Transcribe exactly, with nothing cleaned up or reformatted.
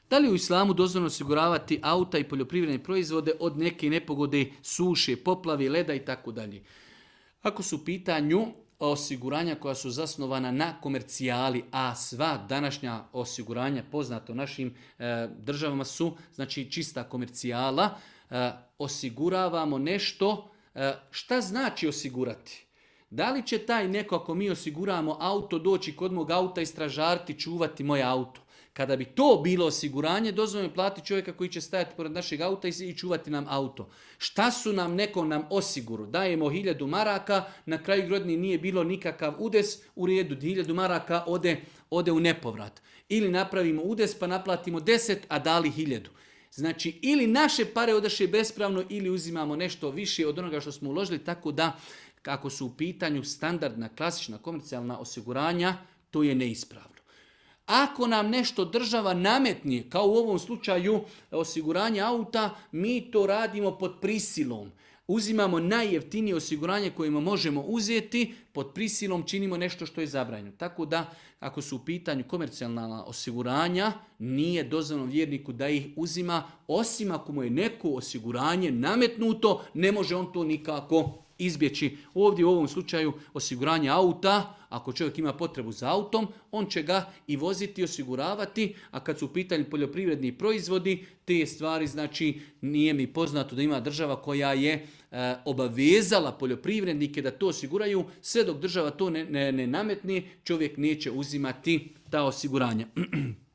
Da li u islamu dozvoljeno osiguravati auta i poljoprivredne proizvode od neke nepogode, suše, poplave, leda i tako dalje? Ako su u pitanju osiguranja koja su zasnovana na komercijali, a sva današnja osiguranja poznata u našim e, državama su znači čista komercijala, e, osiguravamo nešto. E, šta znači osigurati? Da li će taj neko, ako mi osiguramo auto, doći kod mog auta i stražariti, čuvati moje auto? Kada bi to bilo osiguranje, dozvoljeno je platiti čovjeka koji će stajati pored našeg auta i čuvati nam auto. Šta su nam, neko nam osiguru? Dajemo hiljadu maraka, na kraju godine nije bilo nikakav udes, u redu, hiljadu maraka ode, ode u nepovrat. Ili napravimo udes pa naplatimo deset, a dali hiljadu. Znači, ili naše pare odaše bespravno, ili uzimamo nešto više od onoga što smo uložili, tako da, kako su u pitanju standardna, klasična, komercijalna osiguranja, to je neispravno. Ako nam nešto država nametni, kao u ovom slučaju osiguranje auta, mi to radimo pod prisilom. Uzimamo najjeftinije osiguranje kojima možemo uzeti, pod prisilom činimo nešto što je zabranjeno. Tako da, ako su u pitanju komercijalna osiguranja, nije dozvoljeno vjerniku da ih uzima, osim ako mu je neko osiguranje nametnuto, ne može on to nikako izbjeći. Ovdje u ovom slučaju osiguranje auta, ako čovjek ima potrebu za autom, on će ga i voziti, osiguravati, a kad su u pitanju poljoprivredni proizvodi, te stvari, znači, nije mi poznato da ima država koja je e, obavezala poljoprivrednike da to osiguraju, sve dok država to ne, ne, ne nametne, čovjek neće uzimati ta osiguranja.